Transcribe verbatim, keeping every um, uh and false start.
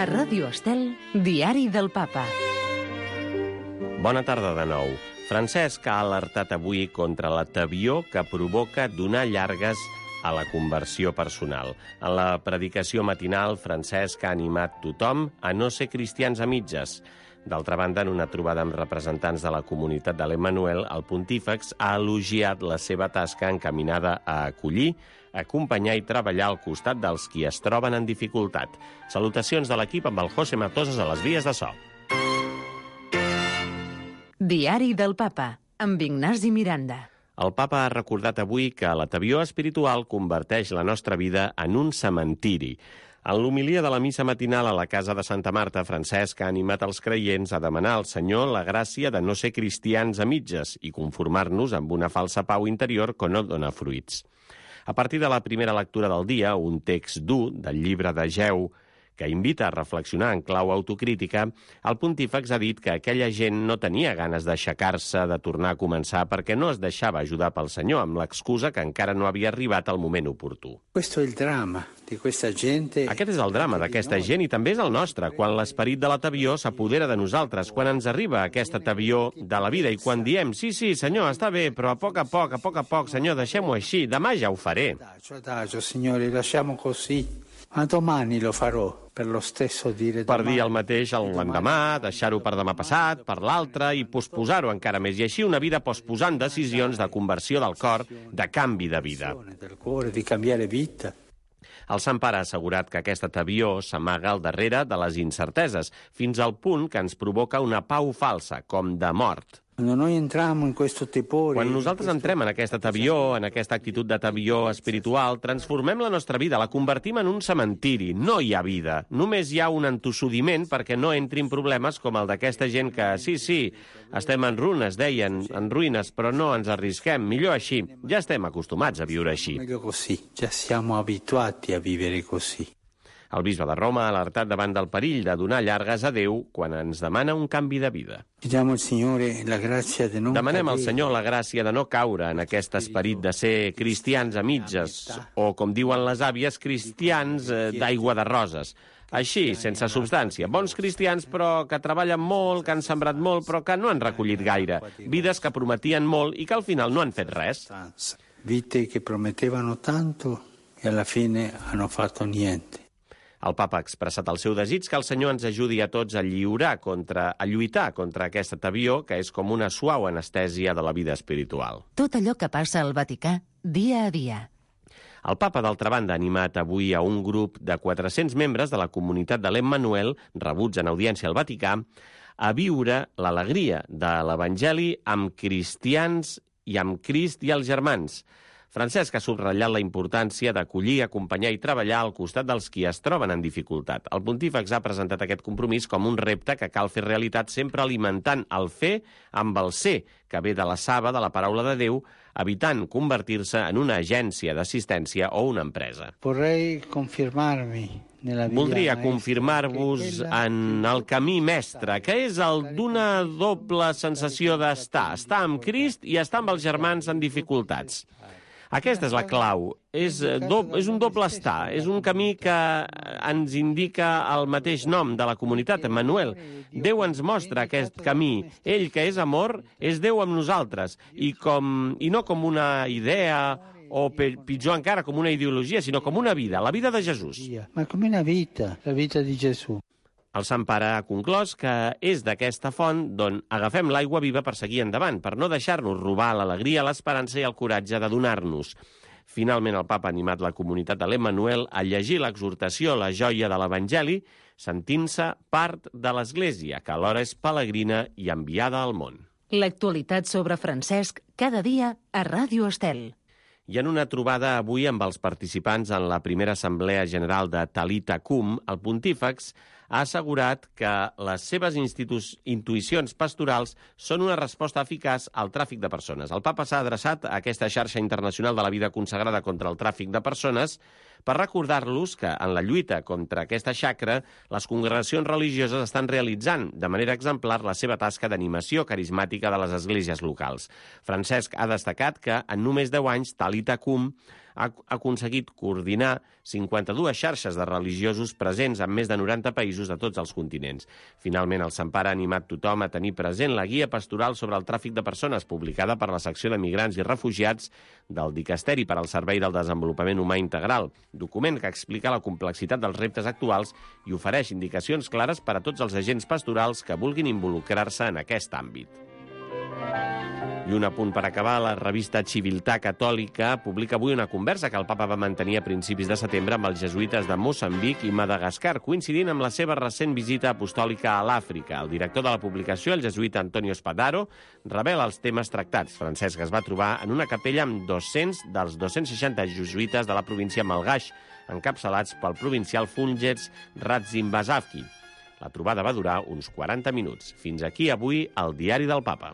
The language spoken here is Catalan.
A Ràdio Estel, Diari del Papa. Bona tarda de nou. Francesc ha alertat avui contra la tebior que provoca donar llargues a la conversió personal. En la predicació matinal, Francesc ha animat tothom a no ser cristians a mitges. D'altra banda, en una trobada amb representants de la comunitat de l'Emmanuel, el pontífex ha elogiat la seva tasca encaminada a acollir, acompanyar i treballar al costat dels qui es troben en dificultat. Salutacions de l'equip amb el José Matosas a les vies de so. Diari del Papa, amb Ignasi Miranda. El papa ha recordat avui que la tebior espiritual converteix la nostra vida en un cementiri. En l'homilia de la missa matinal a la casa de Santa Marta, Francesc ha animat els creients a demanar al Senyor la gràcia de no ser cristians a mitges i conformar-nos amb una falsa pau interior que no dona fruits. A partir de la primera lectura del dia, un text dur del llibre de Geu, que invita a reflexionar en clau autocrítica, el pontífex ha dit que aquella gent no tenia ganes d'aixecar-se, de tornar a començar, perquè no es deixava ajudar pel Senyor, amb l'excusa que encara no havia arribat el moment oportú. Questo è il dramma di questa gente. Aquest és el drama d'aquesta gent i també és el nostre, quan l'esperit de la tebior s'apodera de nosaltres, quan ens arriba aquesta tebior de la vida i quan diem, sí, sí, Senyor, està bé, però a poc a poc, a poc a poc, Senyor, deixem-ho així, demà ja ho faré. Adagio, adagio, Signore, lasciamo così. Ma domani lo farò, per lo stesso dire Per domani. dir el mateix l'endemà, deixar-ho per demà passat, per l'altre, i posposar-ho encara més. I així una vida posposant decisions de conversió del cor, de canvi de vida. Del cuore, di cambiare vita. El Sant Pare ha assegurat que aquesta tebior s'amaga al darrere de les incerteses, fins al punt que ens provoca una pau falsa, com de mort. Quando noi entriamo in questo tepore, Quan nosaltres entrem en aquesta tebior, en aquesta actitud de tebior espiritual, transformem la nostra vida, la convertim en un cementiri. No hi ha vida. Només hi ha un entossudiment perquè no entrin problemes com el d'aquesta gent que, sí, sí, estem en runes, deien, en ruïnes, però no ens arrisquem. Millor així. Ja estem acostumats a viure així. meglio così. Già siamo abituati a vivere così. El bisbe de Roma ha alertat davant del perill de donar llargues a Déu quan ens demana un canvi de vida. Chiediamo al Signore la grazia di non Demanem al cadere. Senyor la gràcia de no caure en aquest esperit de ser cristians a mitges, o, com diuen les àvies, cristians eh, d'aigua de roses. Així, sense substància. Bons cristians, però que treballen molt, que han sembrat molt, però que no han recollit gaire. Vides que prometien molt i que al final no han fet res. Vite che promettevano tanto e alla fine hanno fatto niente. El papa ha expressat el seu desig que el Senyor ens ajudi a tots a lliurar contra, a lluitar contra aquesta tebior, que és com una suau anestèsia de la vida espiritual. Tot allò que passa al Vaticà, dia a dia. El papa, d'altra banda, ha animat avui a un grup de quatre-cents membres de la comunitat de l'Emmanuel, rebuts en audiència al Vaticà, a viure l'alegria de l'Evangeli amb cristians i amb Crist i els germans. Francesc ha subratllat la importància d'acollir, acompanyar i treballar al costat dels qui es troben en dificultat. El pontífex ha presentat aquest compromís com un repte que cal fer realitat sempre alimentant el fer amb el ser, que ve de la saba de la paraula de Déu, evitant convertir-se en una agència d'assistència o una empresa. Vorrei confermarmi nella via Voldria maestra, confirmar-vos che quella en el camí mestre, que és el d'una doble sensació d'estar, estar amb Crist i estar amb els germans en dificultats. Aquesta és la clau. És, do, és un doble estar. És un camí que ens indica el mateix nom de la comunitat, Emmanuel. Déu ens mostra aquest camí. Ell, que és amor, és Déu amb nosaltres. I, com, i no com una idea o, pitjor encara, com una ideologia, sinó com una vida, la vida de Jesús. Ma come una vita, la vita di Gesù. El Sant Pare ha conclòs que és d'aquesta font d'on agafem l'aigua viva per seguir endavant, per no deixar-nos robar l'alegria, l'esperança i el coratge de donar-nos. Finalment, el papa ha animat la comunitat de l'Emmanuel a llegir l'exhortació, la joia de l'Evangeli, sentint-se part de l'Església, que alhora és pelegrina i enviada al món. L'actualitat sobre Francesc, cada dia a Ràdio Estel. I en una trobada avui amb els participants en la primera assemblea general de Talita Cum, el pontífex ha assegurat que les seves intuïcions pastorals són una resposta eficaç al tràfic de persones. El papa s'ha adreçat a aquesta xarxa internacional de la vida consagrada contra el tràfic de persones per recordar-los que en la lluita contra aquesta xacra les congregacions religioses estan realitzant de manera exemplar la seva tasca d'animació carismàtica de les esglésies locals. Francesc ha destacat que en només deu anys Talita Cum ha aconseguit coordinar cinquanta-dues xarxes de religiosos presents en més de noranta països de tots els continents. Finalment, el Sant Pare ha animat tothom a tenir present la guia pastoral sobre el tràfic de persones, publicada per la secció de Migrants i Refugiats del Dicasteri per al Servei del Desenvolupament Humà Integral, document que explica la complexitat dels reptes actuals i ofereix indicacions clares per a tots els agents pastorals que vulguin involucrar-se en aquest àmbit. I un apunt per acabar, la revista Civiltà Catòlica publica avui una conversa que el papa va mantenir a principis de setembre amb els jesuïtes de Moçambic i Madagascar, coincidint amb la seva recent visita apostòlica a l'Àfrica. El director de la publicació, el jesuïta Antonio Spadaro, revela els temes tractats. Francesc es va trobar en una capella amb dos-cents dels dos-cents seixanta jesuïtes de la província Malgaix, encapçalats pel provincial Fulgence Ratsimbasavki. La trobada va durar uns quaranta minuts. Fins aquí avui el Diari del Papa.